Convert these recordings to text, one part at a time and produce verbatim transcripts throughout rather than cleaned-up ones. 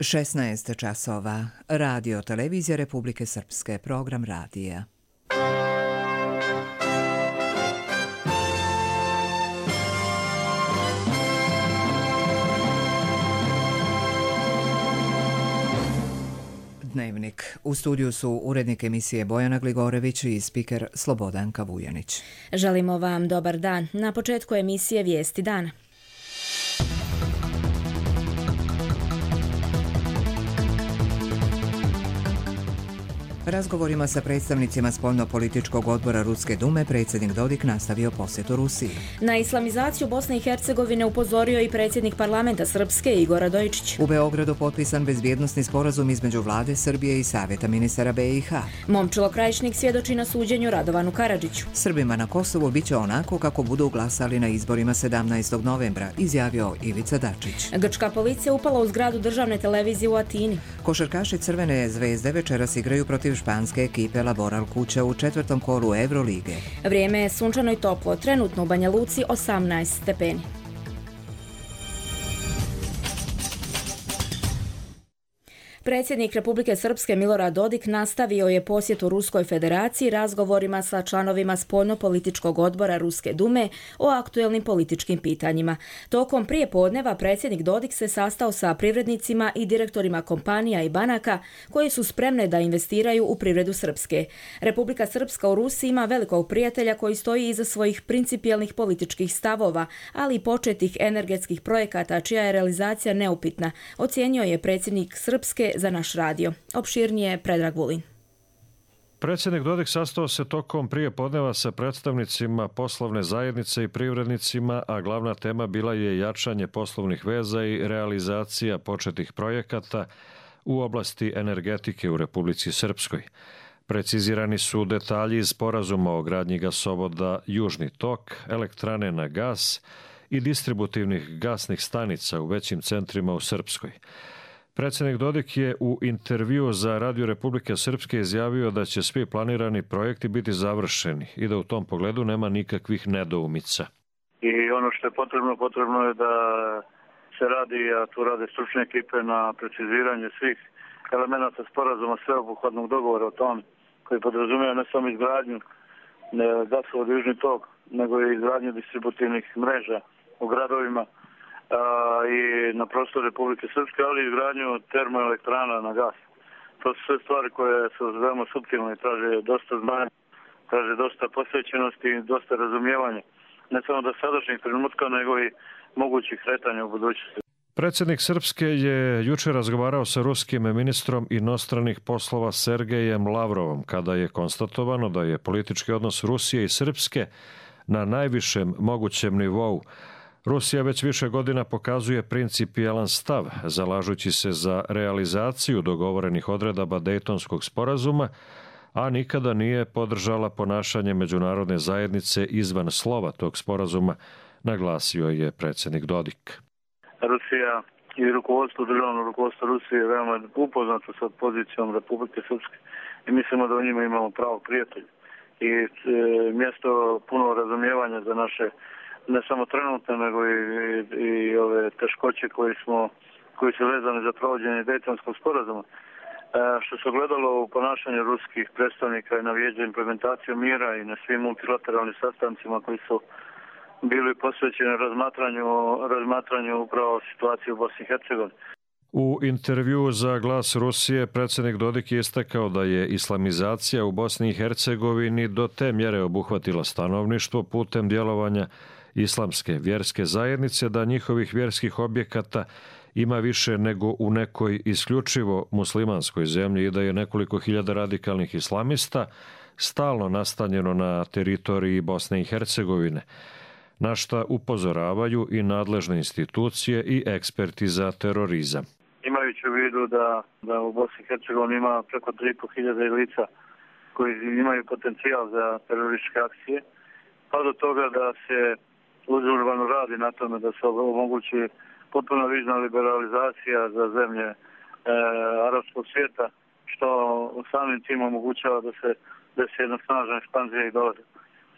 šesnaest časova. Radio televizija Republike Srpske. Program radija. Dnevnik. U studiju su urednik emisije Bojana Gligorević i spiker Slobodanka Vujanić. Želimo vam dobar dan. Na početku emisije Vijesti dana. Razgovorima sa predstavnicima spoljno-političkog odbora Ruske dume predsjednik Dodik nastavio posjetu Rusiji. Na islamizaciju Bosne i Hercegovine upozorio i predsjednik parlamenta Srpske Igor Radojičić. U Beogradu potpisan bezbjednosni sporazum između vlade Srbije i Savjeta ministara B i H. Momčilo Krajišnik svjedoči na suđenju Radovanu Karadžiću. Srbima na Kosovu biće onako kako budu glasali na izborima sedamnaestog novembra, izjavio Ivica Dačić. Grčka policija upala u zgradu državne televizije u Atini. Košarkaši Crvene zvezde večeras igraju protiv španske ekipe Laboral Kuća u četvrtom kolu Evrolige. Vrijeme je sunčano i toplo, trenutno u Banja Luci osamnaest stepeni. Predsjednik Republike Srpske Milorad Dodik nastavio je posjetu Ruskoj federaciji razgovorima sa članovima spoljno-političkog odbora Ruske dume o aktuelnim političkim pitanjima. Tokom prijepodneva predsjednik Dodik se sastao sa privrednicima i direktorima kompanija i banaka koji su spremne da investiraju u privredu Srpske. Republika Srpska u Rusiji ima velikog prijatelja koji stoji iza svojih principijelnih političkih stavova, ali i početih energetskih projekata čija je realizacija neupitna, ocijenio je predsjednik Srpske za naš radio. Opširnije Predrag Vulin. Predsjednik Dodik sastao se tokom prijepodneva sa predstavnicima poslovne zajednice i privrednicima, a glavna tema bila je jačanje poslovnih veza i realizacija početih projekata u oblasti energetike u Republici Srpskoj. Precizirani su detalji iz sporazuma o gradnji gasovoda Južni tok, elektrane na gas i distributivnih gasnih stanica u većim centrima u Srpskoj. Predsjednik Dodik je u intervju za Radio Republike Srpske izjavio da će svi planirani projekti biti završeni i da u tom pogledu nema nikakvih nedoumica. I ono što je potrebno, potrebno je da se radi, a tu rade stručne ekipe na preciziranju svih elemenata sporazuma sveobuhvatnog dogovora o tom koji podrazumijeva ne samo izgradnju gasovoda Južni tok, nego i izgradnju distributivnih mreža u gradovima i na prostoru Republike Srpske, ali i izgradnju termoelektrana na gas. To su sve stvari koje su veoma suptilne i traže dosta znanja, traže dosta posvećenosti i dosta razumijevanja. Ne samo do sadašnjih trenutka, nego i mogućih kretanja u budućnosti. Predsjednik Srpske je jučer razgovarao sa ruskim ministrom inostranih poslova Sergejem Lavrovom, kada je konstatovano da je politički odnos Rusije i Srpske na najvišem mogućem nivou. Rusija već više godina pokazuje principijelan stav, zalažući se za realizaciju dogovorenih odredaba Dejtonskog sporazuma, a nikada nije podržala ponašanje međunarodne zajednice izvan slova tog sporazuma, naglasio je predsjednik Dodik. Rusija i rukovodstvo, državno rukovodstvo Rusije je veoma upoznato sa pozicijom Republike Srpske i mislimo da u njima imamo pravo prijatelj i e, mjesto puno razumijevanja za naše ne samo trenutno, nego i, i, i ove teškoće koji smo, koji su vezane za provođenje Dejtonskog sporazuma. E, što se ogledalo u ponašanju ruskih predstavnika i na vijeđu implementaciju mira i na svim multilateralnim sastancima koji su bili posvećeni razmatranju, razmatranju upravo situacije u Bosni i Hercegovini. U intervju za Glas Rusije predsjednik Dodik je istakao da je islamizacija u Bosni i Hercegovini do te mjere obuhvatila stanovništvo putem djelovanja islamske vjerske zajednice, da njihovih vjerskih objekata ima više nego u nekoj isključivo muslimanskoj zemlji i da je nekoliko hiljada radikalnih islamista stalno nastanjeno na teritoriji Bosne i Hercegovine, na šta upozoravaju i nadležne institucije i eksperti za terorizam. Imajući u vidu da, da u Bosni i Hercegovini ima preko tri i po hiljade lica koji imaju potencijal za terorističke akcije, pa do toga da se uzurvano radi na tome da se omogući potpuno vizna liberalizacija za zemlje e, arapskog svijeta, što samim tim omogućava da se desi jedna snažna ekspanzija i dolaze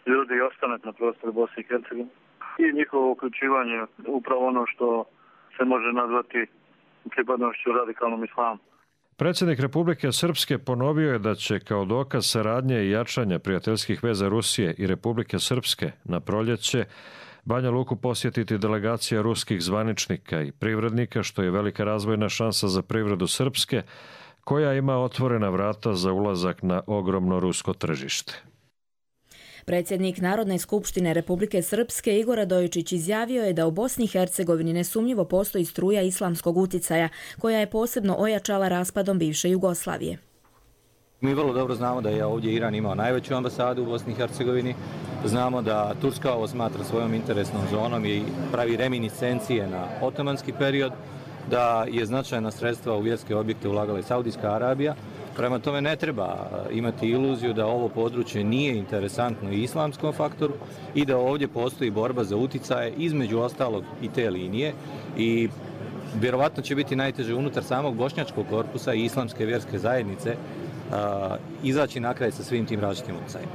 ljudi i ostanak na prostoru Bosne i Hercegovine i njihovo uključivanje upravo ono što se može nazvati pripadnošću radikalnom islamu. Predsjednik Republike Srpske ponovio je da će kao dokaz saradnje i jačanja prijateljskih veza Rusije i Republike Srpske na proljeće Banja Luku posjetiti delegacija ruskih zvaničnika i privrednika, što je velika razvojna šansa za privredu Srpske, koja ima otvorena vrata za ulazak na ogromno rusko tržište. Predsjednik Narodne skupštine Republike Srpske Igor Radojičić izjavio je da u Bosni i Hercegovini nesumnjivo postoji struja islamskog uticaja, koja je posebno ojačala raspadom bivše Jugoslavije. Mi vrlo dobro znamo da je ovdje Iran imao najveću ambasadu u Bosni i Hercegovini. Znamo da Turska ovo smatra svojom interesnom zonom i pravi reminiscencije na otomanski period, da je značajna sredstva u vjerske objekte ulagala i Saudijska Arabija. Prema tome ne treba imati iluziju da ovo područje nije interesantno i islamskom faktoru i da ovdje postoji borba za uticaje između ostalog i te linije i vjerovatno će biti najteže unutar samog bošnjačkog korpusa i islamske vjerske zajednice a, izaći na kraj sa svim tim različitim uticajima.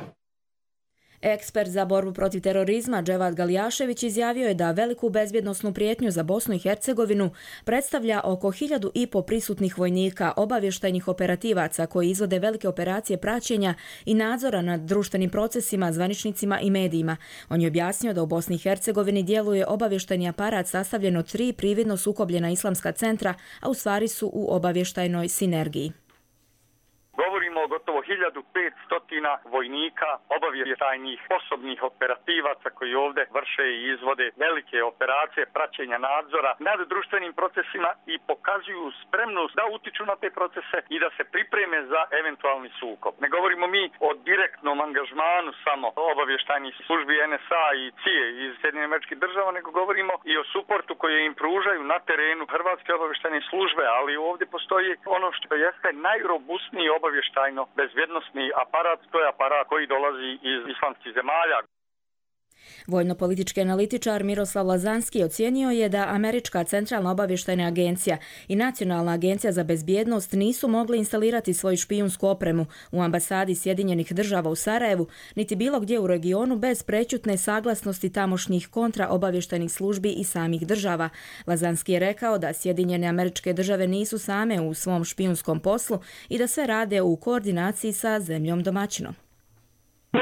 Ekspert za borbu protiv terorizma Dževad Galijašević izjavio je da veliku bezbjednosnu prijetnju za Bosnu i Hercegovinu predstavlja oko hiljadu i po prisutnih vojnika, obavještajnih operativaca koji izvode velike operacije praćenja i nadzora nad društvenim procesima, zvaničnicima i medijima. On je objasnio da u Bosni i Hercegovini djeluje obavještajni aparat sastavljen od tri prividno sukobljena islamska centra, a u stvari su u obavještajnoj sinergiji. Govorimo o gotovo hiljadu petsto vojnika, obavještajnih osobnih operativaca koji ovdje vrše i izvode velike operacije praćenja nadzora nad društvenim procesima i pokazuju spremnost da utiču na te procese i da se pripreme za eventualni sukob. Ne govorimo mi o direktnom angažmanu samo obavještajnih službi en es a i ce i a iz Sjedinjenih Američkih Država, nego govorimo i o suportu koji im pružaju na terenu hrvatske obavještajne službe, ali ovdje postoji ono što jeste najrobustniji obavještajno bezbjednosni aparat, to je aparat koji dolazi iz islamskih zemalja. Vojno-politički analitičar Miroslav Lazanski ocijenio je da Američka centralna obavještajna agencija i Nacionalna agencija za bezbjednost nisu mogli instalirati svoju špijunsku opremu u ambasadi Sjedinjenih Država u Sarajevu, niti bilo gdje u regionu bez prećutne saglasnosti tamošnjih kontraobavještajnih službi i samih država. Lazanski je rekao da Sjedinjene Američke Države nisu same u svom špijunskom poslu i da sve rade u koordinaciji sa zemljom domaćinom.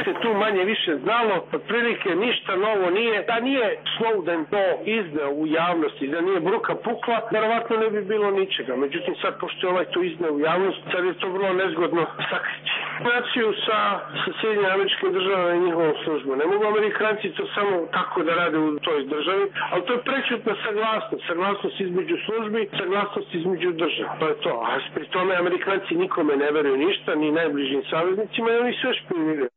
Se tu manje više znalo, otprilike ništa novo nije. Da nije Snowden to izneo u javnosti, da nije bruka pukla, verovatno ne bi bilo ničega. Međutim, sad pošto je ovaj to izneo u javnost, sad je to vrlo nezgodno sakriti. Naciju sa, sa Sjedinjenim Američkim Državama i njihovom službom. Ne mogu Amerikanci to samo tako da rade u toj državi, ali to je prečutna saglasnost. Saglasnost između službi, saglasnost između država. To je to. A pri tome Amerikanci nikome ne veruju ništa, ni najbližim saveznicima i oni sve špijuniraju.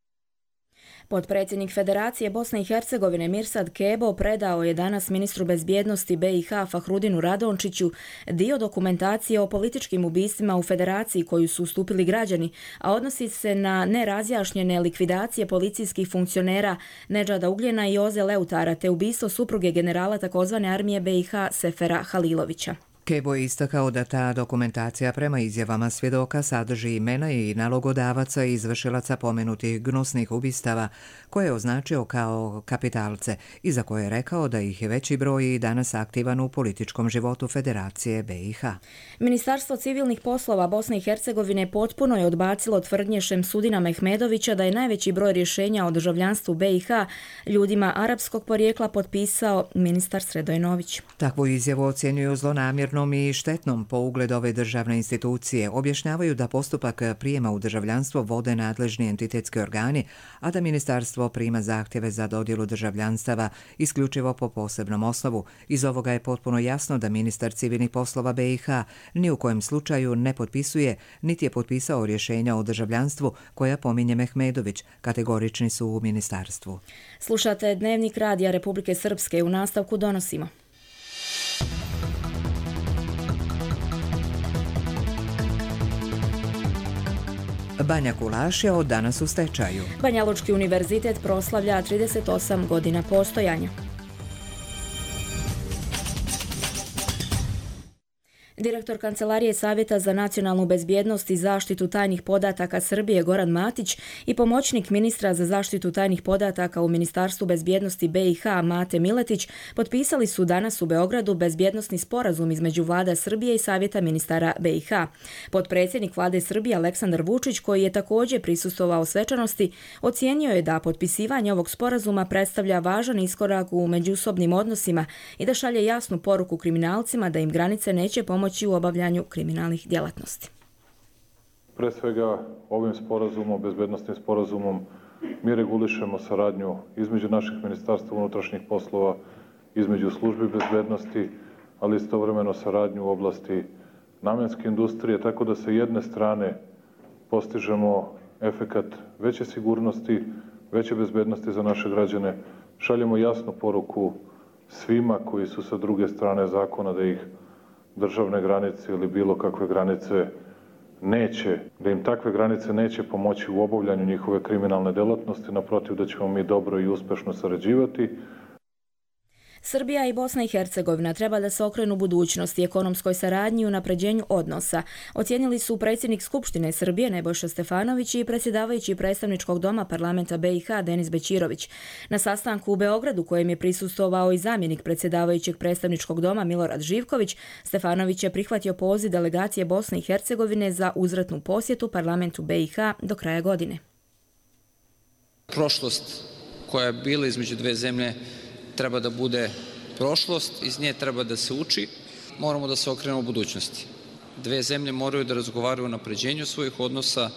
Potpredsjednik Federacije Bosne i Hercegovine Mirsad Kebo predao je danas ministru bezbjednosti be i ha Fahrudinu Radončiću dio dokumentacije o političkim ubistvima u Federaciji koju su ustupili građani, a odnosi se na nerazjašnjene likvidacije policijskih funkcionera Nedžada Ugljena i Joze Leutara te ubistvo supruge generala takozvane armije be i ha Sefera Halilovića. Kebo je istakao da ta dokumentacija prema izjavama svjedoka sadrži imena i nalogodavaca i izvršilaca pomenutih gnusnih ubistava, koje je označio kao kapitalce i za koje je rekao da ih je veći broj i danas aktivan u političkom životu Federacije be i ha. Ministarstvo civilnih poslova Bosne i Hercegovine potpuno je odbacilo tvrdnje Šemsudina Mehmedovića da je najveći broj rješenja o državljanstvu be i ha ljudima arapskog porijekla potpisao ministar Sredojnović. Takvu izjavu ocjenjuju zlonamjerno i štetnom po ugled ove državne institucije. Objašnjavaju da postupak prijema u državljanstvo vode nadležni entitetski organi, a da ministarstvo prima zahtjeve za dodjelu državljanstava isključivo po posebnom osnovu. Iz ovoga je potpuno jasno da ministar civilnih poslova be i ha ni u kojem slučaju ne potpisuje, niti je potpisao rješenja o državljanstvu koja pominje Mehmedović, kategorični su u ministarstvu. Slušate Dnevnik Radija Republike Srpske, u nastavku donosimo. Banja Kulaš je od danas u stečaju. Banja Lučki univerzitet proslavlja trideset osam godina postojanja. Direktor Kancelarije Savjeta za nacionalnu bezbjednost i zaštitu tajnih podataka Srbije Goran Matić i pomoćnik ministra za zaštitu tajnih podataka u Ministarstvu bezbjednosti B i H Mate Miletić potpisali su danas u Beogradu bezbjednosni sporazum između Vlada Srbije i Savjeta ministara B i H. Potpredsjednik Vlade Srbije Aleksandar Vučić, koji je također prisustvovao svečanosti, ocijenio je da potpisivanje ovog sporazuma predstavlja važan iskorak u međusobnim odnosima i da šalje jasnu poruku kriminalcima da im granice neće pomoći u obavljanju kriminalnih djelatnosti. Pre svega, ovim sporazumom, bezbednosnim sporazumom, mi regulišemo saradnju između naših ministarstva unutrašnjih poslova, između službi bezbednosti, ali istovremeno saradnju u oblasti namenske industrije, tako da sa jedne strane postižemo efekat veće sigurnosti, veće bezbednosti za naše građane, šaljemo jasnu poruku svima koji su sa druge strane zakona da ih državne granice ili bilo kakve granice neće, da im takve granice neće pomoći u obavljanju njihove kriminalne delatnosti, naprotiv da ćemo mi dobro i uspešno sarađivati. Srbija i Bosna i Hercegovina treba da se okrenu budućnosti, ekonomskoj saradnji i unapređenju odnosa. Ocijenili su predsjednik Skupštine Srbije Nebojša Stefanović i predsjedavajući predstavničkog doma parlamenta B i H Denis Bećirović. Na sastanku u Beogradu, kojem je prisustvovao i zamjenik predsjedavajućeg predstavničkog doma Milorad Živković, Stefanović je prihvatio poziv delegacije Bosne i Hercegovine za uzvratnu posjetu parlamentu B i H do kraja godine. Prošlost koja je bila između dve zemlje treba da bude prošlost, iz nje treba da se uči, moramo da se okrenemo u budućnosti. Dve zemlje moraju da razgovaraju o napređenju svojih odnosa,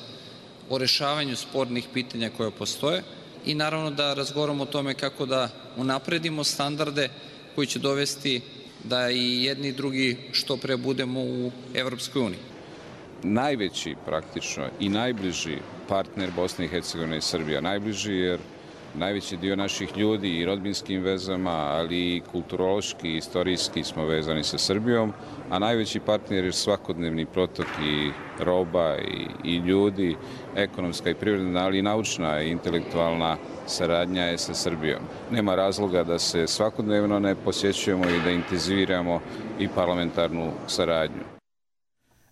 o rešavanju spornih pitanja koje postoje i naravno da razgovaramo o tome kako da unapredimo standarde koji će dovesti da i jedni i drugi što pre budemo u Evropskoj uniji. Najveći praktično i najbliži partner Bosne i Hercegovine je Srbija. Najbliži jer najveći dio naših ljudi i rodbinskim vezama, ali i kulturološki i istorijski smo vezani sa Srbijom, a najveći partner je svakodnevni protok i roba i, i ljudi, ekonomska i privredna, ali i naučna i intelektualna saradnja je sa Srbijom. Nema razloga da se svakodnevno ne posjećujemo i da intenziviramo i parlamentarnu saradnju.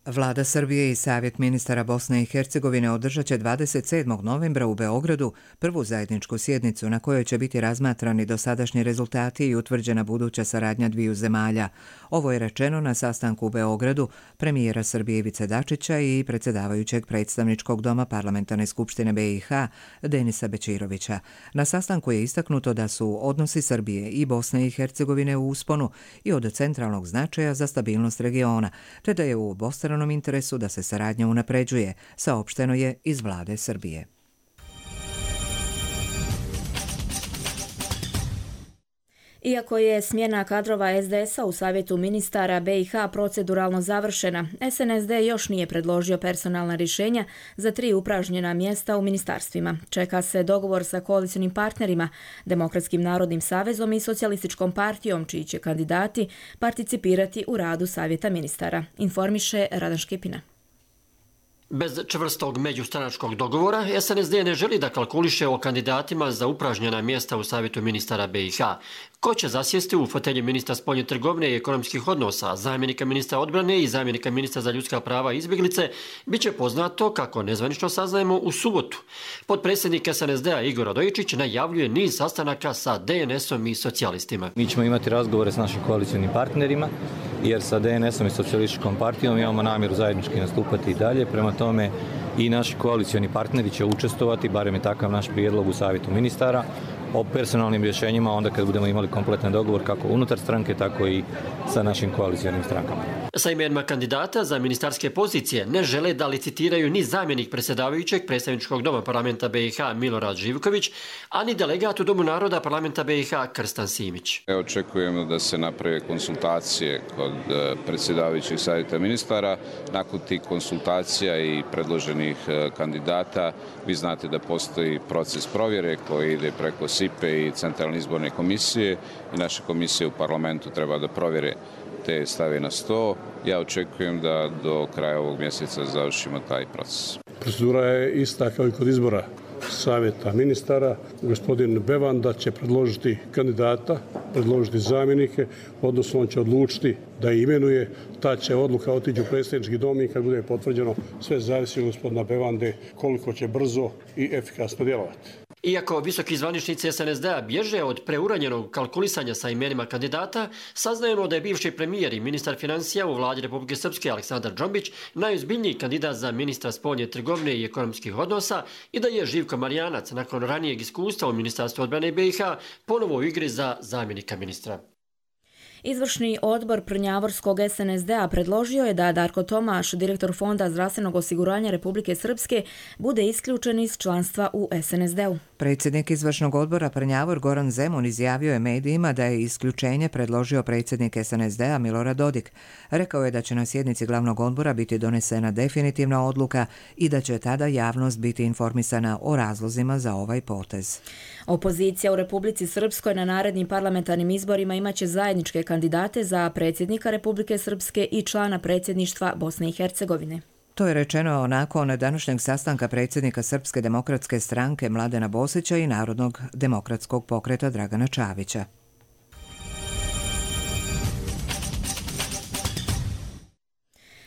Vlada Srbije i Savjet ministara Bosne i Hercegovine održat će dvadeset sedmog novembra u Beogradu prvu zajedničku sjednicu na kojoj će biti razmatrani dosadašnji rezultati i utvrđena buduća saradnja dviju zemalja. Ovo je rečeno na sastanku u Beogradu premijera Srbije Ivice Dačića i predsjedavajućeg predstavničkog doma Parlamentarne skupštine B i H Denisa Bećirovića. Na sastanku je istaknuto da su odnosi Srbije i Bosne i Hercegovine u usponu i od centralnog značaja za stabilnost regiona, te da je u obostranom interesu da se saradnja unapređuje, saopšteno je iz vlade Srbije. Iako je smjena kadrova S D S-a u Savjetu ministara B i H proceduralno završena, S N S D još nije predložio personalna rješenja za tri upražnjena mjesta u ministarstvima. Čeka se dogovor sa koalicionim partnerima, Demokratskim narodnim savezom i Socijalističkom partijom, čiji će kandidati participirati u radu Savjeta ministara, informiše Radan Škipina. Bez čvrstog međustranačkog dogovora, S N S D ne želi da kalkuliše o kandidatima za upražnjena mjesta u Savjetu ministara B i H. Ko će zasjesti u fotelji ministra spoljne trgovine i ekonomskih odnosa, zamjenika ministra odbrane i zamjenika ministra za ljudska prava i izbjeglice, bit će poznato, kako nezvanično saznajemo, u subotu. Potpredsjednik S N S D-a Igor Radojičić najavljuje niz sastanaka sa D N S-om i socijalistima. Mi ćemo imati razgovore s našim koalicionim partnerima, jer sa D N S-om i socijalističkom partijom imamo namjeru zajednički nastupati i dalje. Prema tome i naši koalicioni partneri će učestvovati, barem je takav naš prijedlog u Savjetu ministara, o personalnim rješenjima onda kad budemo imali kompletan dogovor kako unutar stranke, tako i sa našim koalicionim strankama. Sa imenima kandidata za ministarske pozicije ne žele da licitiraju ni zamjenik predsjedavajućeg predstavničkog doma parlamenta B i H Milorad Živković, ani delegat u Domu naroda parlamenta B i H Krstan Simić. Očekujemo da se naprave konsultacije kod predsjedavajućeg savjeta ministara. Nakon tih konsultacija i predloženih kandidata, vi znate da postoji proces provjere koji ide preko S I P E i Centralne izborne komisije i naše komisije u parlamentu treba da provjere te stave na sto. Ja očekujem da do kraja ovog mjeseca završimo taj proces. Procedura je ista kao i kod izbora. savjeta ministara, gospodin Bevanda će predložiti kandidata, predložiti zamjenike, odnosno on će odlučiti da imenuje. Ta će odluka otići u predsjednički dom i kad bude potvrđeno, sve zavisi od gospodina Bevande koliko će brzo i efikasno djelovati. Iako visoki zvaničnici es en es de a bježe od preuranjenog kalkulisanja sa imenima kandidata, saznajemo da je bivši premijer i ministar financija u vladi Republike Srpske Aleksandar Džombić najozbiljniji kandidat za ministra spoljne trgovine i ekonomskih odnosa i da je Živko Marijanac nakon ranijeg iskustva u Ministarstvu odbrane be i ha ponovo u igri za zamjenika ministra. Izvršni odbor Prnjavorskog es en es de a predložio je da Darko Tomaš, direktor Fonda zdravstvenog osiguranja Republike Srpske, bude isključen iz članstva u es en es de u. Predsjednik izvršnog odbora Prnjavor Goran Zemun izjavio je medijima da je isključenje predložio predsjednik es en es de a Milorad Dodik. Rekao je da će na sjednici glavnog odbora biti donesena definitivna odluka i da će tada javnost biti informisana o razlozima za ovaj potez. Opozicija u Republici Srpskoj na narednim parlamentarnim izborima imaće zajedničke kandidate za predsjednika Republike Srpske i člana predsjedništva Bosne i Hercegovine. To je rečeno nakon današnjeg sastanka predsjednika Srpske demokratske stranke Mladena Bosića i Narodnog demokratskog pokreta Dragana Čavića.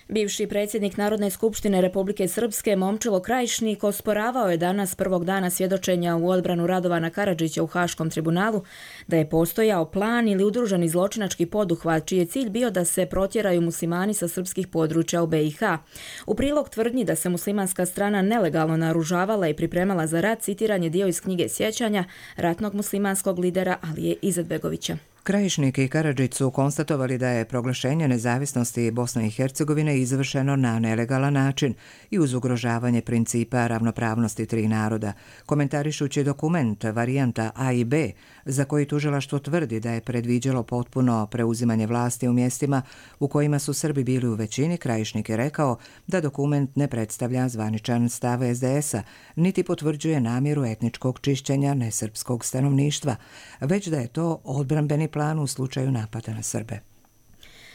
Bivši predsjednik Narodne skupštine Republike Srpske Momčilo Krajišnik osporavao je danas prvog dana svjedočenja u odbranu Radovana Karadžića u Haškom tribunalu da je postojao plan ili udruženi zločinački poduhvat čiji je cilj bio da se protjeraju muslimani sa srpskih područja u be i ha. U prilog tvrdnji da se muslimanska strana nelegalno naoružavala i pripremala za rat citiran je dio iz knjige sjećanja ratnog muslimanskog lidera Alije Izetbegovića. Krajišnik i Karadžić su konstatovali da je proglašenje nezavisnosti Bosne i Hercegovine izvršeno na nelegalan način i uz ugrožavanje principa ravnopravnosti tri naroda, komentarišući dokument varijanta A i B, za koji tužilaštvo tvrdi da je predviđalo potpuno preuzimanje vlasti u mjestima u kojima su Srbi bili u većini. Krajišnik je rekao da dokument ne predstavlja zvaničan stav es de es a, niti potvrđuje namjeru etničkog čišćenja nesrpskog stanovništva, već da je to odbrambeni plan u slučaju napada na Srbe.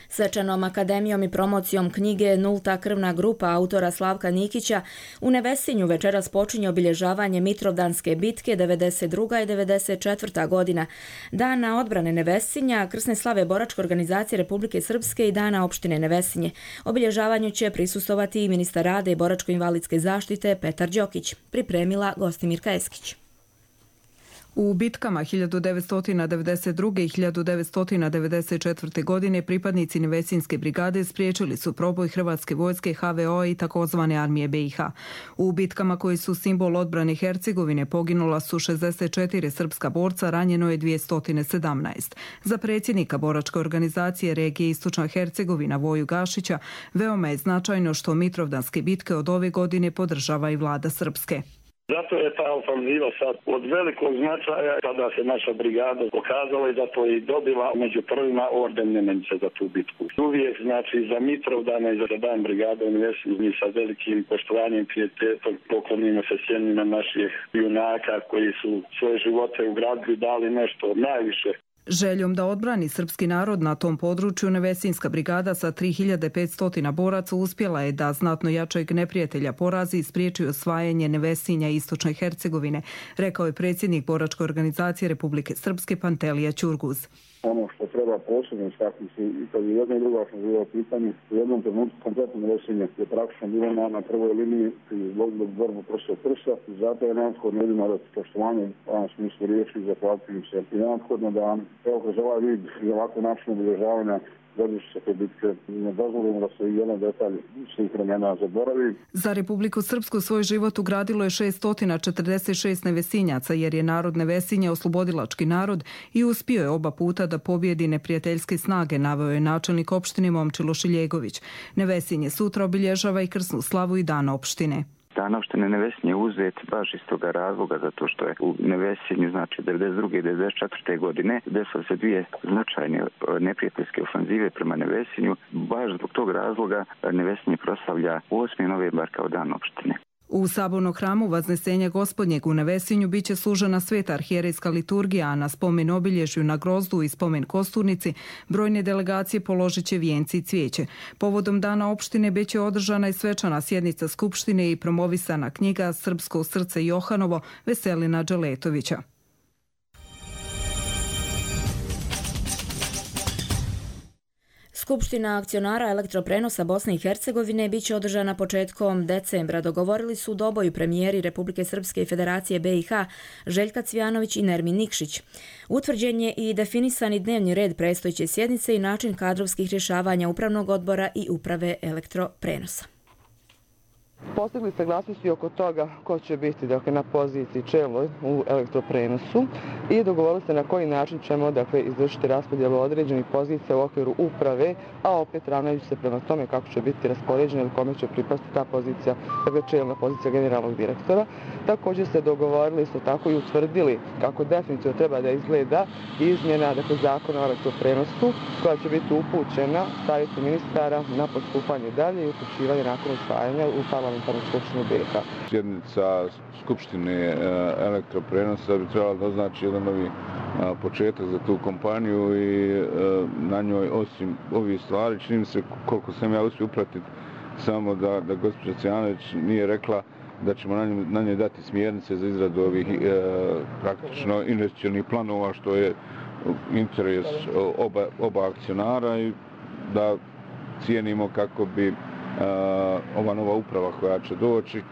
Svečanom akademijom i promocijom knjige Nulta krvna grupa autora Slavka Nikića u Nevesinju večeras počinje obilježavanje Mitrovdanske bitke devedeset druga i devedeset četvrta godina, Dana odbrane Nevesinja, krsne slave boračke organizacije Republike Srpske i Dana opštine Nevesinje. Obilježavanju će prisustovati i ministar rada i boračko-invalidske zaštite Petar Đokić, pripremila Gostimirka Eskić. U bitkama hiljadu devetsto devedeset druge. i hiljadu devetsto devedeset četvrte. godine pripadnici Nevesinjske brigade spriječili su proboj hrvatske vojske ha ve o i takozvane armije be i ha. U bitkama koji su simbol odbrane Hercegovine poginula su šezdeset četiri srpska borca, ranjeno je dvjesto sedamnaest. Za predsjednika boračke organizacije regije Istočna Hercegovina Voju Gašića veoma je značajno što Mitrovdanske bitke od ove godine podržava i vlada Srpske. Zato je ta ofanziva sad od velikog značaja, kada se naša brigada pokazala i zato je dobila među prvima orden Nemenice za tu bitku. Uvijek, znači, za Mitrovdane i za dan brigade u Nevesinju sa velikim poštovanjem i pijetetom poklonimo se sjenima naših junaka koji su svoje živote ugradili, dali nešto najviše. Željom da odbrani srpski narod na tom području, Nevesinjska brigada sa tri hiljade petsto boraca uspjela je da znatno jačeg neprijatelja porazi i spriječi osvajanje Nevesinja i Istočne Hercegovine, rekao je predsjednik boračke organizacije Republike Srpske Pantelija Ćurguz. Ono što treba posebno istaknuti i kad je jedna i druga ofenziva u pitanju, u jednom trenutku kompletno Nevesinje je praktično bilo na, na prvoj liniji i izvodilo borbu prsa od prsa i zato je neophodno ljudima da poštovanje u ovom smislu riječi i zahvaliti im se. I neophodno da evo kroz ovaj vid i ovako način obilježavanja godišnje se te bitke ne dozvolimo da se i jedan detalj svih vremena zaboravi. Za Republiku Srpsku svoj život ugradilo je šeststo četrdeset šest Nevesinjaca jer je narod Nevesinja oslobodilački narod i uspio je oba puta da pobjedi neprijateljske snage, naveo je načelnik opštine Momčilo Šiljegović. Nevesinje sutra obilježava i krsnu slavu i dan opštine. Dan opštine Nevesinje uzet baš iz toga razloga zato što je u Nevesinju, znači devedeset druge i devedeset četvrte. godine desile se dvije značajne neprijateljske ofanzive prema Nevesinju. Baš zbog tog razloga Nevesinje proslavlja osmi novembar kao dan opštine. U sabornom hramu Vaznesenja Gospodnjeg u Nevesinju biće služena sveta arhijerejska liturgija, a na spomen obilježju na grozdu i spomen kosturnici brojne delegacije položit će vijenci i cvijeće. Povodom dana opštine biće održana i svečana sjednica skupštine i promovisana knjiga Srpsko srce Johanovo Veselina Đeletovića. Skupština akcionara elektroprenosa Bosne i Hercegovine biće održana početkom decembra. Dogovorili su doboju premijeri Republike Srpske i Federacije B i H Željka Cvijanović i Nermin Nikšić. Utvrđen je i definisani dnevni red predstojeće sjednice i način kadrovskih rješavanja upravnog odbora i uprave elektroprenosa. Postigli saglasnosti oko toga ko će biti dakle, na poziciji čelnoj u elektroprenosu i dogovorili se na koji način ćemo dakle, izvršiti raspodjelu određenih pozicija u okviru uprave, a opet ravnajući se prema tome kako će biti raspoređena ili kome će pripasti ta pozicija, dakle čelna pozicija generalnog direktora. Također se dogovorili isto tako i utvrdili kako definitivno treba da izgleda izmjena dakle, zakona o elektroprenosu koja će biti upućena savjetu ministara na postupanje dalje i upućivanje nakon usvajanja u parlamentarnu skupštinu B i H. Sjednica Skupštine elektroprenosa bi trebala da označi jedan novi početak za tu kompaniju i na njoj osim ovih stvari čini mi se koliko sam ja uspio upratiti samo da, da gospođa Cvijanović nije rekla da ćemo na njoj, na njoj dati smjernice za izradu ovih e, praktično investicionih planova što je interes oba, oba akcionara i da cijenimo kako bi Uh, ova nova uprava koja će doći uh,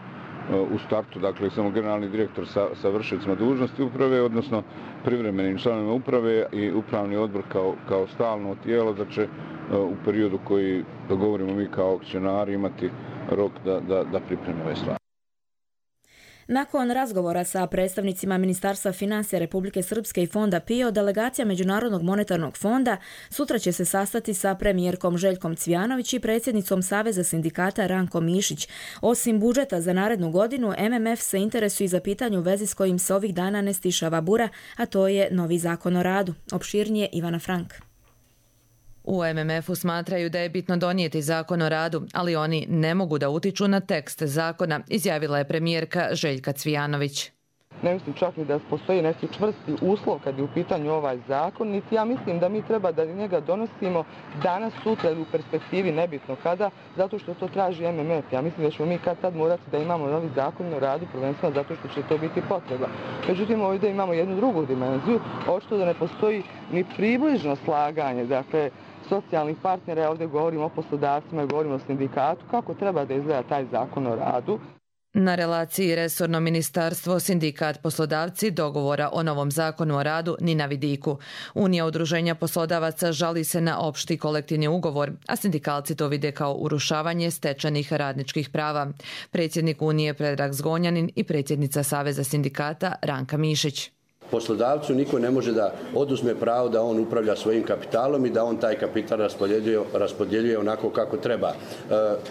u startu, dakle samo generalni direktor sa, sa vršicima dužnosti uprave, odnosno privremenim članovima uprave i upravni odbor kao, kao stalno tijelo, da će uh, u periodu koji dogovorimo mi kao akcionari imati rok da, da, da pripremi ove stvari. Nakon razgovora sa predstavnicima Ministarstva financija Republike Srpske i Fonda P I O, delegacija Međunarodnog monetarnog fonda sutra će se sastati sa premijerkom Željkom Cvijanović i predsjednicom Saveza sindikata Rankom Mišić. Osim budžeta za narednu godinu, M M F se interesuje za pitanje u vezi s kojim se ovih dana ne stišava bura, a to je novi zakon o radu. Opširnije Ivana Frank. U M M F-u smatraju da je bitno donijeti zakon o radu, ali oni ne mogu da utiču na tekst zakona, izjavila je premijerka Željka Cvijanović. Ne mislim čak ni da postoji neki čvrsti uslov kad je u pitanju ovaj zakon, niti ja mislim da mi treba da njega donosimo danas, sutra ili u perspektivi nebitno kada, zato što to traži M M F. Ja mislim da ćemo mi kad tad morati da imamo novi zakon o radu, prvenstveno zato što će to biti potreba. Međutim, ovdje imamo jednu drugu dimenziju, očito da ne postoji ni približno slaganje, dakle, socijalnih partnera, ovdje govorimo o poslodavcima i govorimo o sindikatu, kako treba da izgleda taj zakon o radu. Na relaciji resorno ministarstvo, sindikat, poslodavci dogovora o novom zakonu o radu ni na vidiku. Unija udruženja poslodavaca žali se na opšti kolektivni ugovor, a sindikalci to vide kao urušavanje stečenih radničkih prava. Predsjednik Unije Predrag Zgonjanin i predsjednica Saveza sindikata Ranka Mišić. Poslodavcu niko ne može da oduzme pravo da on upravlja svojim kapitalom i da on taj kapital raspodjeljuje, raspodjeljuje onako kako treba.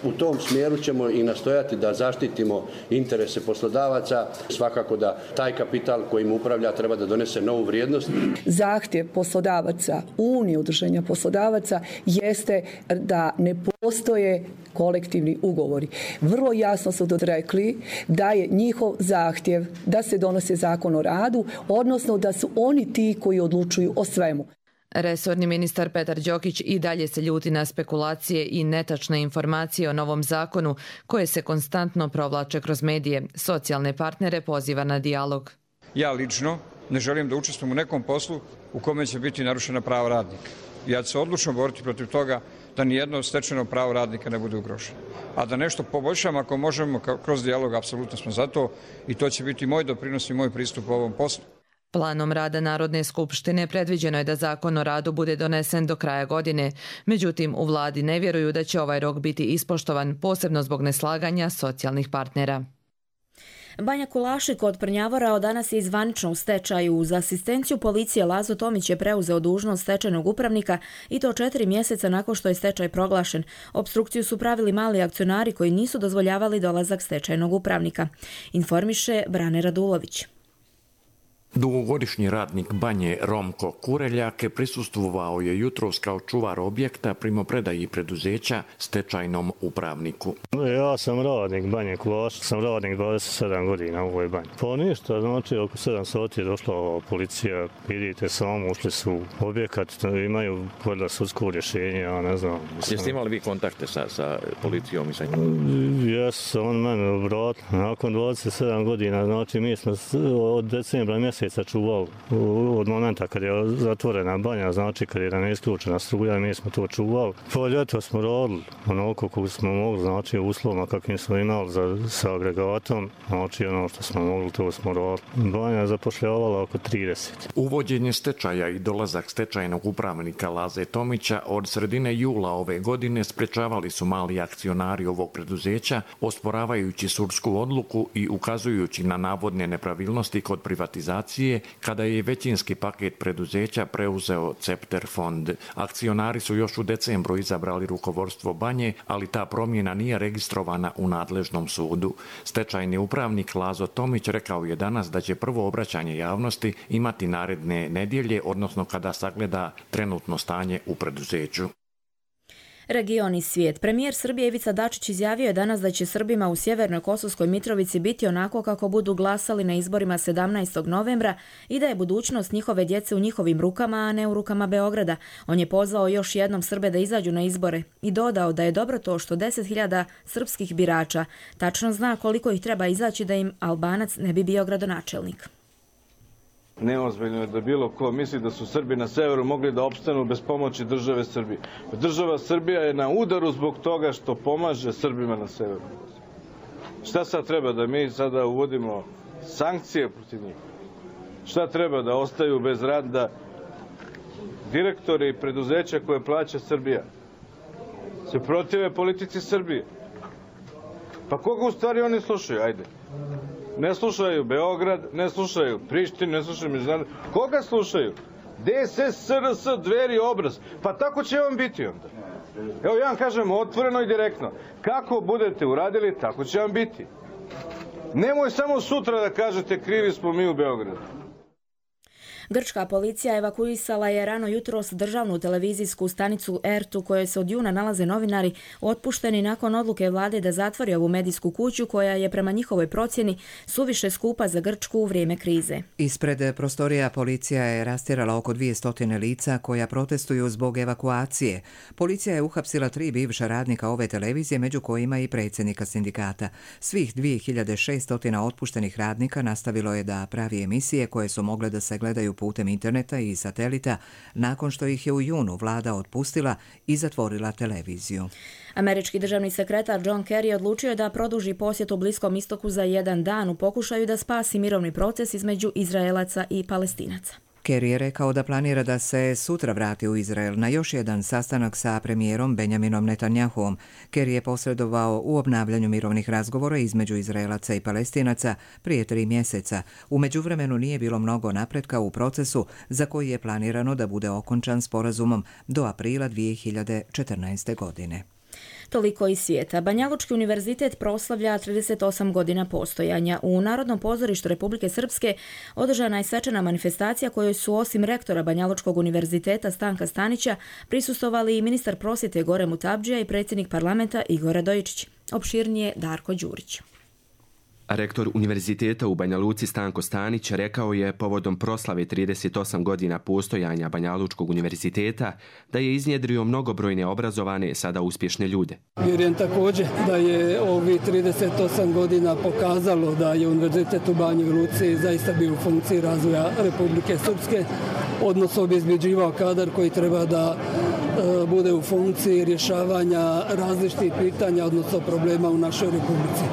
U tom smjeru ćemo i nastojati da zaštitimo interese poslodavaca. Svakako da taj kapital kojim upravlja treba da donese novu vrijednost. Zahtjev poslodavaca, Unije udruženja poslodavaca jeste da ne postoje kolektivni ugovori. Vrlo jasno su rekli da je njihov zahtjev da se donose zakon o radu, odnosno da su oni ti koji odlučuju o svemu. Resorni ministar Petar Đokić i dalje se ljuti na spekulacije i netačne informacije o novom zakonu koje se konstantno provlače kroz medije. Socijalne partnere poziva na dijalog. Ja lično ne želim da učestvujem u nekom poslu u kome će biti narušena prava radnika. Ja ću se odlučno boriti protiv toga da nijedno stečeno pravo radnika ne bude ugroženo. A da nešto poboljšamo ako možemo kroz dijalog, apsolutno smo za to i to će biti moj doprinos i moj pristup ovom poslu. Planom rada Narodne skupštine predviđeno je da zakon o radu bude donesen do kraja godine. Međutim, u vladi ne vjeruju da će ovaj rok biti ispoštovan, posebno zbog neslaganja socijalnih partnera. Banja Kulaši kod Prnjavora od danas je zvanično u stečaju. Za asistenciju policije Lazo Tomić je preuzeo dužnost stečajnog upravnika i to četiri mjeseca nakon što je stečaj proglašen. Opstrukciju su pravili mali akcionari koji nisu dozvoljavali dolazak stečajnog upravnika. Informiše Brane Radulović. Dugogodišnji radnik banje Romko Kureljak prisustvovao je jutros kao čuvar objekta primopredaji preduzeća stečajnom upravniku. Ja sam radnik banje Kulaša, sam radnik dvadeset sedam godina u ovoj banji. Pa ništa, znači oko sedam sati je došla policija, vidite samo, ušli su u objekat, imaju valjda sudsko rješenje, ja ne znam. Jeste imali vi kontakte sa, sa policijom i sa njim? Jes, on mene obrat. Nakon dvadeset sedam godina, znači mi smo od decembra mjeseca čuvali od momenta kad je zatvorena banja, znači kad je ne isključena struja, mi smo to čuvali. Pa ljeto smo radili onoliko kako smo mogli, znači uslovima kakvim smo imali za, sa agregatom, znači ono što smo mogli, to smo radili. Banja je zapošljavala oko trideset. Uvođenje stečaja i dolazak stečajnog upravnika Laze Tomića od sredine jula ove godine sprečavali su mali akcionari ovog preduzeća, osporavajući sudsku odluku i ukazujući na navodne nepravilnosti kod privatizacije kada je većinski paket preduzeća preuzeo Cepter fond. Akcionari su još u decembru izabrali rukovodstvo banje, ali ta promjena nije registrovana u nadležnom sudu. Stečajni upravnik Lazo Tomić rekao je danas da će prvo obraćanje javnosti imati naredne nedjelje, odnosno kada sagleda trenutno stanje u preduzeću. Region i svijet. Premijer Srbije Ivica Dačić izjavio je danas da će Srbima u Sjevernoj Kosovskoj Mitrovici biti onako kako budu glasali na izborima sedamnaestog novembra i da je budućnost njihove djece u njihovim rukama, a ne u rukama Beograda. On je pozvao još jednom Srbe da izađu na izbore i dodao da je dobro to što deset hiljada srpskih birača tačno zna koliko ih treba izaći da im Albanac ne bi bio gradonačelnik. Neozbiljno je da bilo ko misli da su Srbi na severu mogli da opstanu bez pomoći države Srbije. Država Srbija je na udaru zbog toga što pomaže Srbima na severu. Šta sad treba, da mi sada uvodimo sankcije protiv njih? Šta treba, da ostaju bez rada direktori i preduzeća koje plaća Srbija? Se protive politici Srbije. Pa koga u stvari oni slušaju? Ajde. Ne slušaju Beograd, ne slušaju Prištinu, ne slušaju međunarodno. Koga slušaju? D S S, S R S, Dveri, Obraz. Pa tako će vam biti onda. Evo ja vam kažem otvoreno i direktno. Kako budete uradili, tako će vam biti. Nemoj samo sutra da kažete krivi smo mi u Beogradu. Grčka policija evakuisala je rano jutros državnu televizijsku stanicu R T u kojoj se od juna nalaze novinari otpušteni nakon odluke vlade da zatvori ovu medijsku kuću koja je prema njihovoj procjeni suviše skupa za Grčku u vrijeme krize. Ispred prostorija policija je rastjerala oko dvjesto lica koja protestuju zbog evakuacije. Policija je uhapsila tri bivša radnika ove televizije, među kojima i predsjednika sindikata. Svih dvije hiljade šesto otpuštenih radnika nastavilo je da pravi emisije koje su mogle da se gledaju putem interneta i satelita nakon što ih je u junu vlada otpustila i zatvorila televiziju. Američki državni sekretar John Kerry odlučio je da produži posjet u Bliskom istoku za jedan dan u pokušaju da spasi mirovni proces između Izraelaca i Palestinaca. Kerry je rekao da planira da se sutra vrati u Izrael na još jedan sastanak sa premijerom Benjaminom Netanjahuom. Kerry je posredovao u obnavljanju mirovnih razgovora između Izraelaca i Palestinaca prije tri mjeseca. U međuvremenu nije bilo mnogo napretka u procesu za koji je planirano da bude okončan sporazumom do aprila dvije hiljade četrnaeste. godine. Toliko iz svijeta. Banjalučki univerzitet proslavlja trideset osam godina postojanja. U Narodnom pozorištu Republike Srpske održana je svečana manifestacija kojoj su osim rektora Banjalučkog univerziteta Stanka Stanića prisustvovali i ministar prosvjete Gore Mutabdžija i predsjednik parlamenta Igor Radojičić. Opširnije Darko Đurić. Rektor Univerziteta u Banja Luci Stanko Stanić rekao je povodom proslave trideset osam godina postojanja Banjalučkog univerziteta da je iznjedrio mnogobrojne obrazovane, sada uspješne ljude. Vjerujem također da je ovi trideset osam godina pokazalo da je Univerzitet u Banji Luci zaista bio u funkciji razvoja Republike Srpske, odnosno obezbeđivao kadar koji treba da e, bude u funkciji rješavanja različitih pitanja, odnosno problema u našoj Republici.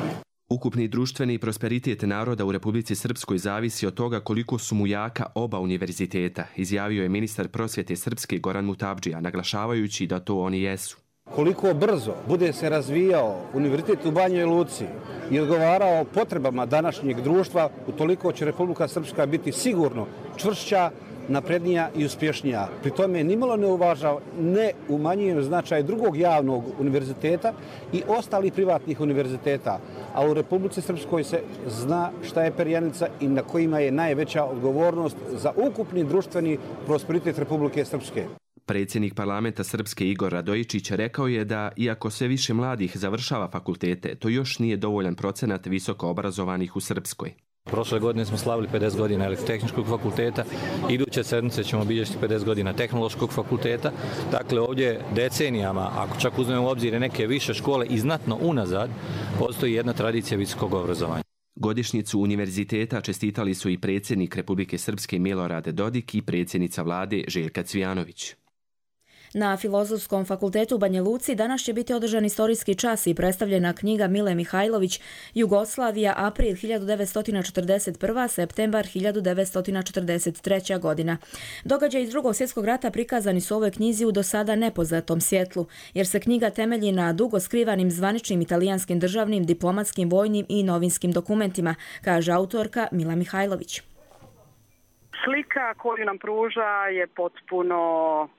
Ukupni društveni prosperitet naroda u Republici Srpskoj zavisi od toga koliko su mu jaka oba univerziteta, izjavio je ministar prosvjete Srpske Goran Mutabdžija, naglašavajući da to oni jesu. Koliko brzo bude se razvijao Univerzitet u Banjoj Luci i odgovarao potrebama današnjeg društva, utoliko će Republika Srpska biti sigurno čvršća naprednija i uspješnija. Pri tome nimalo ne uvažava, ne umanjuje značaj drugog javnog univerziteta i ostalih privatnih univerziteta. A u Republici Srpskoj se zna šta je perjanica i na kojima je najveća odgovornost za ukupni društveni prosperitet Republike Srpske. Predsjednik parlamenta Srpske Igor Radojičić rekao je da, iako sve više mladih završava fakultete, to još nije dovoljan procenat visoko obrazovanih u Srpskoj. Prošle godine smo slavili pedeset godina elektrotehničkog fakulteta, iduće sedmice ćemo obilježiti pedeset godina tehnološkog fakulteta. Dakle, ovdje decenijama, ako čak uzmemo u obzir neke više škole i znatno unazad, postoji jedna tradicija visokog obrazovanja. Godišnjicu univerziteta čestitali su i predsjednik Republike Srpske Milorad Dodik i predsjednica vlade Željka Cvijanović. Na Filozofskom fakultetu u Banja Luci danas će biti održan istorijski čas i predstavljena knjiga Mile Mihajlović Jugoslavija, april hiljadu devetsto četrdeset prva. septembar hiljadu devetsto četrdeset treća. godina. Događaji iz Drugog svjetskog rata prikazani su u ovoj knjizi u do sada nepoznatom svjetlu, jer se knjiga temelji na dugo skrivanim zvaničnim italijanskim državnim, diplomatskim, vojnim i novinskim dokumentima, kaže autorka Mila Mihajlović. Slika koju nam pruža je potpuno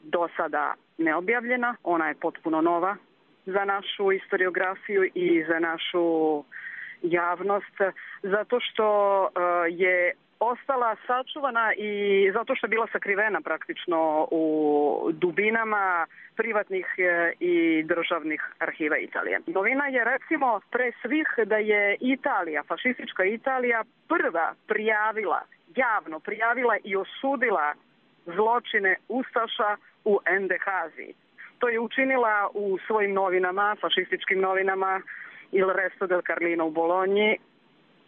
do sada neobjavljena, ona je potpuno nova za našu historiografiju i za našu javnost, zato što je ostala sačuvana i zato što je bila sakrivena praktično u dubinama privatnih i državnih arhiva Italije. Novina je recimo pre svih da je Italija, fašistička Italija, prva prijavila javno prijavila i osudila zločine ustaša u Endehaziji. To je učinila u svojim novinama, fašističkim novinama Il Resto del Carlino u Bolonji,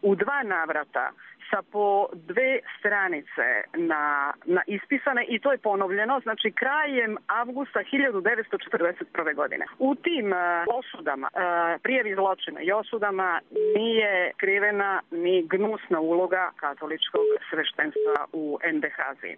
u dva navrata sa po dve stranice na, na ispisane i to je ponovljeno, znači krajem avgusta hiljadu devetsto četrdeset prve. godine. U tim uh, osudama, uh, prijavi zločina i osudama nije krivena ni gnusna uloga katoličkog sveštenstva u Endehaziji.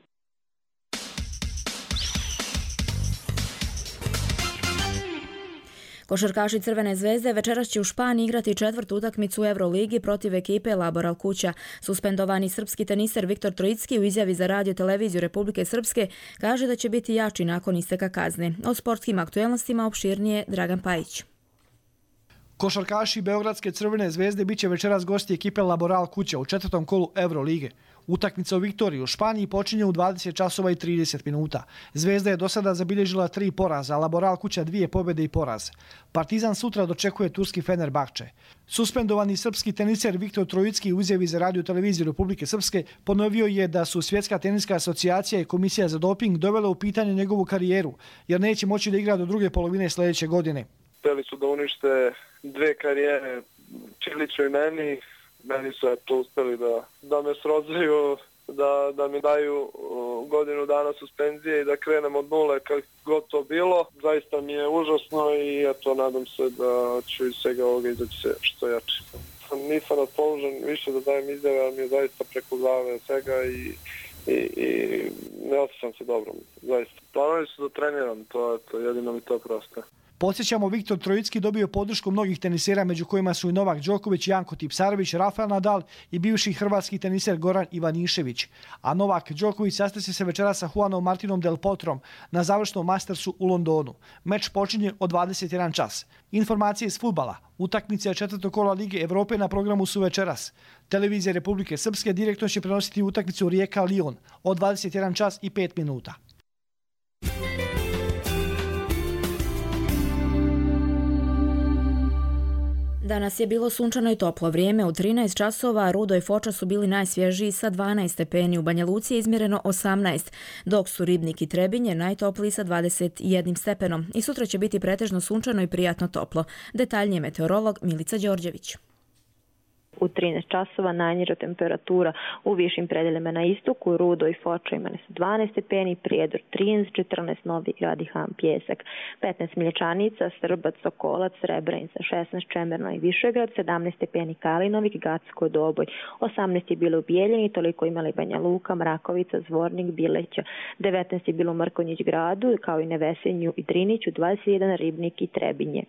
Košarkaši Crvene zvezde večeras će u Španiji igrati četvrtu utakmicu u Euroligi protiv ekipe Laboral Kuća. Suspendovani srpski teniser Viktor Trojicki u izjavi za radio televiziju Republike Srpske kaže da će biti jači nakon isteka kazne. O sportskim aktuelnostima opširnije Dragan Pajić. Košarkaši Beogradske Crvene zvezde biće večeras gosti ekipe Laboral Kuća u četvrtom kolu Eurolige. Utakmica u Viktoriji u Španiji počinje u dvadeset časova i trideset minuta. Zvezda je do sada zabilježila tri poraza, a Laboral Kuća dvije pobjede i poraz. Partizan sutra dočekuje turski Fenerbahče. Suspendovani srpski teniser Viktor Trojicki u izjavi za radio televiziju Republike Srpske ponovio je da su Svjetska teniska asocijacija i Komisija za doping dovela u pitanje njegovu karijeru, jer neće moći da igra do druge polovine sljedeće godine. Hteli su da unište dve karijere Čiliću i meni. Meni su to uspeli da, da me srozaju, da, da mi daju uh, godinu dana suspenzije i da krenem od nule kako god to bilo. Zaista mi je užasno i eto, nadam se da ću iz svega ovoga izaći što jače. Nisam raspoložen više da dajem izjave, ali mi je zaista preko glave svega i, i, i ne osjećam se dobro. Zaista. Planovi su da treniram, to je to, jedino mi to prosto. Podsjećamo, Viktor Trojicki dobio podršku mnogih tenisera, među kojima su i Novak Đoković, Janko Tipsarević, Rafael Nadal i bivši hrvatski teniser Goran Ivanišević. A Novak Đoković sastaće se večera sa Juanom Martinom Del Potrom na završnom Mastersu u Londonu. Meč počinje od dvadeset jedan čas. Informacije iz fudbala. Utakmice četvrtog kola Lige Evrope na programu su večeras. Televizija Republike Srpske direktno će prenositi utakmicu Rijeka-Lyon od dvadeset jedan čas i pet minuta. Danas je bilo sunčano i toplo vrijeme. U trinaest časova Rudo i Foča su bili najsvježiji sa dvanaest stepeni. U Banja Luci je izmjereno osamnaest, dok su Ribnik i Trebinje najtopliji sa dvadeset jedan stepenom. I sutra će biti pretežno sunčano i prijatno toplo. Detaljnije meteorolog Milica Đorđević. U trinaest časova najniža temperatura u višim predeljima na istoku, Rudo i Foča imali su dvanaest stepeni, Prijedor trinaest, četrnaest Novi Grad i Han Pjesak, petnaest Miljećanica, Srbac, Sokolac, Srebrenica, šesnaest Čemerno i Višegrad, sedamnaest stepeni Kalinovik, Gacko, Doboj, osamnaest je bilo u Bijeljini, toliko imali Banja Luka, Mrakovica, Zvornik, Bileća, devetnaest je bilo u Mrkonjić Gradu, kao i Nevesenju i Driniću, dvadeset jedan Ribnik i Trebinje.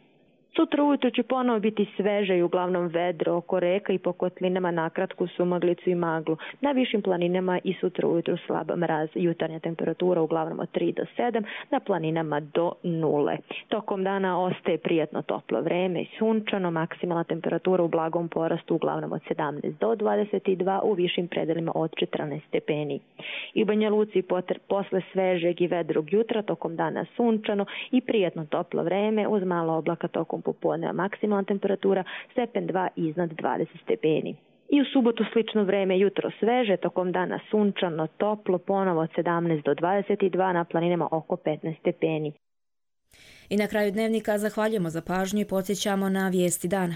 Sutra ujutro će ponovo biti sveže i uglavnom vedro oko reka i po kotlinama nakratku sumaglicu i maglu. Na višim planinama i sutra ujutro slaba mraz, jutarnja temperatura uglavnom od tri do sedam, na planinama do nule. Tokom dana ostaje prijatno toplo vreme i sunčano, maksimalna temperatura u blagom porastu uglavnom od sedamnaest do dvadeset dva, u višim predelima od četrnaest stepeni. I u Banja Luci posle svežeg i vedrog jutra tokom dana sunčano i prijatno toplo vreme uz malo oblaka tokom popodneva, maksimalna temperatura stepen dva iznad dvadeset stepeni. I u subotu slično vreme, jutro sveže, tokom dana sunčano, toplo, ponovo od sedamnaest do dvadeset dva, na planinama oko petnaest stepeni. I na kraju dnevnika zahvaljujemo za pažnju i podsjećamo na vijesti dana.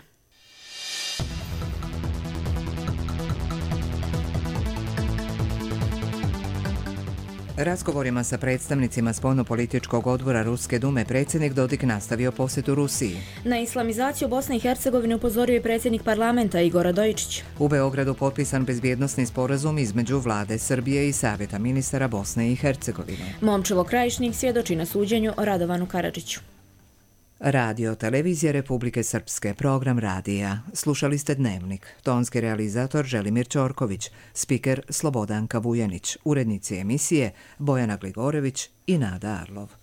Razgovorima sa predstavnicima spoljnopolitičkog odbora Ruske dume predsjednik Dodik nastavio posjetu Rusiji. Na islamizaciju Bosne i Hercegovine upozorio je predsjednik parlamenta Igor Radojičić. U Beogradu potpisan bezbjednosni sporazum između vlade Srbije i Savjeta ministara Bosne i Hercegovine. Momčilo Krajišnik svjedoči na suđenju o Radovanu Karadžiću. Radio Televizija Republike Srpske, program radija. Slušali ste Dnevnik. Tonski realizator Želimir Ćorković, spiker Slobodanka Vujanić, urednici emisije Bojana Gligorević i Nada Arlov.